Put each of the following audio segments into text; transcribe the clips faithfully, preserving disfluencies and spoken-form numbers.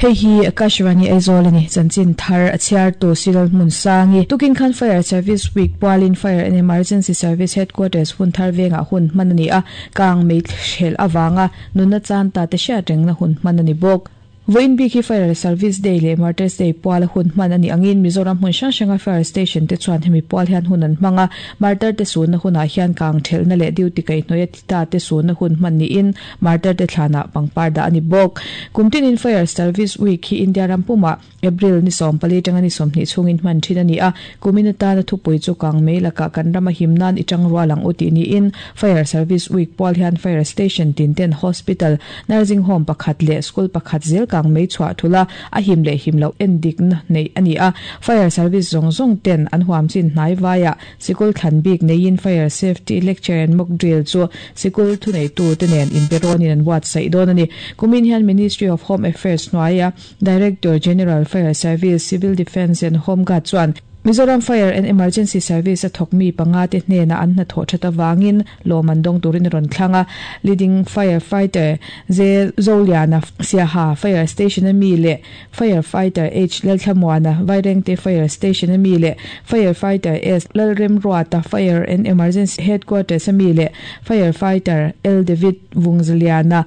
Hei hi Akashvani Aizawl ani chanchin thar a chhiar tu Siral Hmun Sangi tukin khan Fire Service Week pualin Fire and Emergency Service Headquarters hun thar venga hun hman ani a kang mei thlel awanga nunna chan ta te hriat rengna hun hman ani bawk. Voin bi khi Fire Service Day le Martyrs Day puala hun hman ani angin Mizoram hmun hrang hranga Fire Station te chuan hemi pual hian hun an hmanga Martyr te sunna hunah hian kang thelna leh duty kai hnuaia tita te sunna hun hman niin Martyr te thlana pangpar dah ani bawk. Kumtinin Fire Service Week hi India ram puma April ni sawm pali tanga ni sawmhnih chhungin hman thin ani a kumina tana thupui chu kang mei laka kan rama himnan i tang rualang u tih niin Fire Service Week pual hian Fire Station tin ten hospital nursing home pakhat leh school pakhat zel kang mei chhuah thula a him leh him lo en dik na nei ani a Fire Service zawng zawng ten an huam chin hnai vaia sikul thlan bik neiin Fire Safety Lecture and Mock Drill chu sikul thu nei tu te nen inperonin an buatsaih dawn ani. Kumin hian Ministry of Home Affairs hnuaia Director General Fire Service Civil Defence and Home Guard chuan Mizoram Fire and Emergency Service a thawk mi panga te hnena an hna thawh that awangin lawm an dawng turin rawn thlanga leading firefighter J Zoliana Siaha Fire Station ami leh firefighter H Lalthlamuana Vairengte Fire Station ami leh firefighter S Lalremruata Fire and Emergency Headquarters ami leh firefighter L David Vungzaliana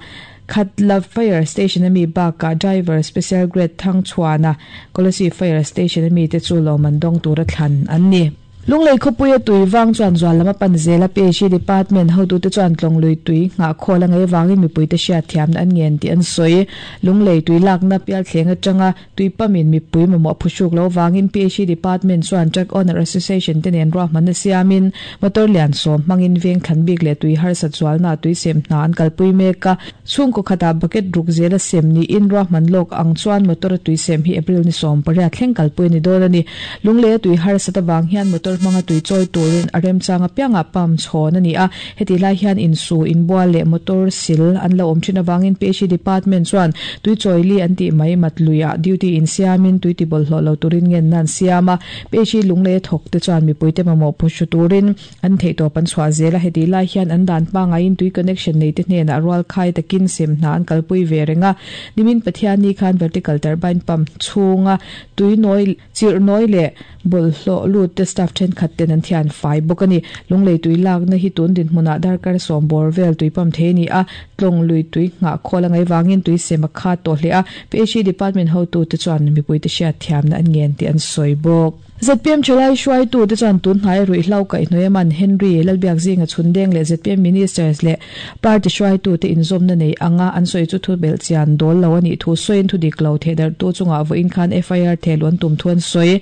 Khatla Fire Station ami baka driver special grade Thang Chuana Kolasi Fire Station ami te chu lawm an dawng tura thlan an ni. Lunglei khawpuia tui wang chuan zual lama pan zela P H E department hotu te chuan tlawng lui tui ngah khawl a ngei wangin mipui te hriat thiamna an ngen tih an sawi. Lunglei tui lakna pial thleng atanga tui pamin mipui mamawh phuhruk lo wangin P H E department chuan Truck Owner Association te nen ruahmanna siamin motor lian sawm hmangin veng thlan bik leh tui harsat zualna tui sem hna an kalpui mek a chhungkaw khatah bucket ruk zela sem niin ruahman lawk ang chuan motor a tui sem hi April ni sawm pariat thleng kalpui ani dawn ani. Lunglei a tui harsat awang hian motor hmanga tui chawi turin a remchanga pianga pump chhawn ani a heti lai hian insu inbual leh motor sil an lo awm thin awangin P H E department chuan tui chawi li an tih mai mat luiah duty in siamin tui ti bawlhhlawh lo turin ngen nan siam a P H E lunglei a thawk te chuan mipui te mamawh phuhru turin an theihtawp an chhuah zel a heti lai hian an dan pangaiin tui connection nei te hnenah rual khai takin sem hna an kalpui ve renga nimin Pathian ni khan vertical turbine pump chhunga tui nawi chirh nawi leh bawlhhlawh lut te staff thenkhat ten an thian fai bawk ani. Lunglei tui lakna hi tun din hmunah darkar sawm bawr vel tui pump thei ani a tlawng lui tui nghah khawl a ngai wangin tui sem a kha tawh hle a P H E department hotu te chuan mipui te hriat thiamna an ngen tih an sawi bawk. Z P M chalai hruai tu te chuan tun hnai ruih hlo kaih hnuai man Henry Lalbiak zinga chhundeng leh Z P M ministers leh party hruai tu te inzawmna nei anga an sawi chu thu bel chian dawl lo ani thu sawiin thu dik lo theh dar tu chungah vawiin khan F I R thehluan tum thu an sawi.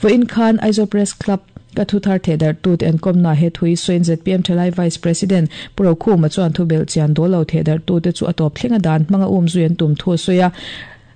Vawiin khan Aizawl Press Club ka thu thar theh dar tu te an kawmna he thui sawiin Z P M thalai Vice President Pu Rokhuma chuan thu bel chian dawl lo theh dar tu te chu a tawp thlenga dan hmanga um zui an tum thu a sawi a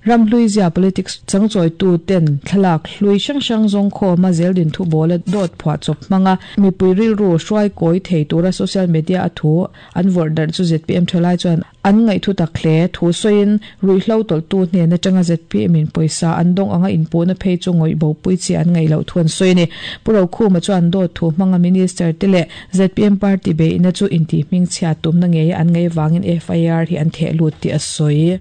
ramhlui zia politics changchawi tu ten thlalak hlui hrang hrang zawng khawma zeldin thu bawla dawt phuah chawp hmanga mipui rilru hruai kawi thei tura social media a thu an vawrh darh chu Z P M thalai chuan an ngaih thu tak hle thu sawiin ruihhlo tawlh tu hnen atanga Z P M in pawisa an dawng anga inpuhna phei chu ngawih bo pui chi an ngaih loh thu an sawi ani. Pu Rokhuma chuan dawt thu hmanga minister te leh Z P M party beihna chu intih hming chhiat tumna ngei an ngei wangin F I R hi an theh lut tih a sawi.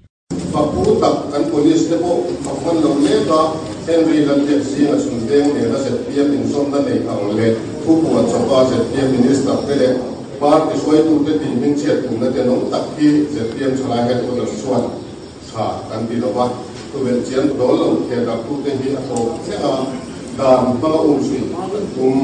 Fakpu tak kan police te pawh fakman lo mek a Henry Lalbiak zinga chhundeng nena Z P M inzawmna nei ang leh thu phuah chawpa Z P M minister te leh party hruaitu te tih hming chhiat tumna te nawm tak hi Z P M thalai headquarters chuan tha kan ti lova thu bel chian dawl lo theh dar tu te hi a tawp thlenga dan hmanga um zui kan tum.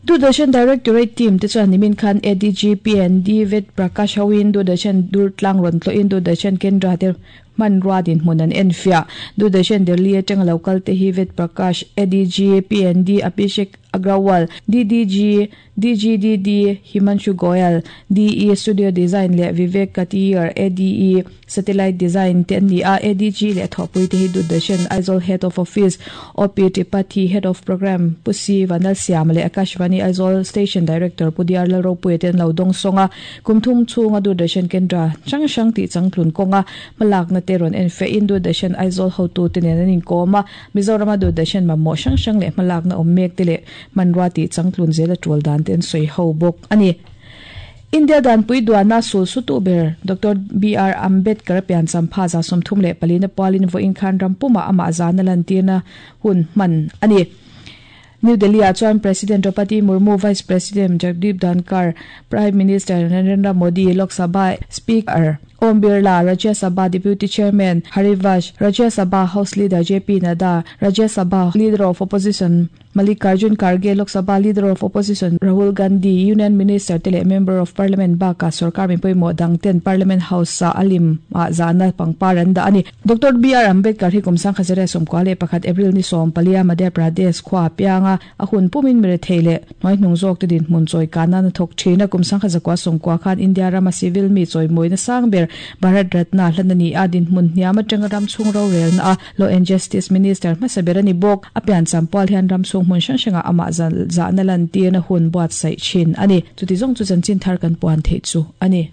Doordarshan Directorate team te chuan nimin khan A D G P and D Ved Prakash hoin Doordarshan Durtlang rawn tlawhin Doordarshan Kendra te hman rua din hmun an en fiah. Doordarshan Delhi atanga local te hi Ved Prakash, A D G P and D Abhishek Agrawal, D D G D G D D Himanshu Goyal, D E Studio Design leh Vivek Katiyar, A D E Satellite Design te an ni a. A D G leh thawhpui te hi Doordarshan Aizawl Head of Office O P Tripathi, Head of Program Pusi Vanal Siam leh Akashvani Aizawl Station Director Pudiar Lalropui te an lo dawng sawnga kumthum chhunga Doordarshan Kendra hrang hrang tih changtlun kawnga hmalakna te rawn en fe in Doordarshan Aizawl hotu te nen an inkawm a Mizorama Doordarshan mamawh hrang hrang leh hmalakna awm mek te leh hmanrua tih changtlun zela tul dan te an sawi ho bawk ani. India dan pui duana sul sutu ber Doctor B R Ambedkar pian champha za somthum le palina palin vo in khan rampuma ama zana lantirna hun man ani. New Delhi chuan President Draupadi Murmu, Vice President Jagdeep Dhankhar, Prime Minister Narendra Modi, Lok Sabha Speaker Om Birla, Rajya Sabha Deputy Chairman Harivansh, Rajya Sabha House Leader J P Nadda, Rajya Sabha Leader of Opposition Mallikarjun Kharge, Lok Sabha Leader of Opposition Rahul Gandhi, Union Minister tele Member of Parliament baka sarkar mi poimo dangten Parliament House sa alim a zana pangparan da ani. Doctor B R Ambedkar hi kumsang khazare somkwale pakhat April ni som palia Madhya Pradesh khwa pianga ahun pumin mere theile noi hnungzok te din mun choi kana na thok thina kumsang khazakwa somkwa khan India rama civil mi choi moina sangber Bharat Ratna hlanani adin mun hniama tangaram chung ro rel na Law and Justice Minister masaberani bok apian champal hian ram chung mun sang sanga ama za na lan tir na hun buat sai chin ani. Chuti zong chu chan chin thar kan puan the chu ani.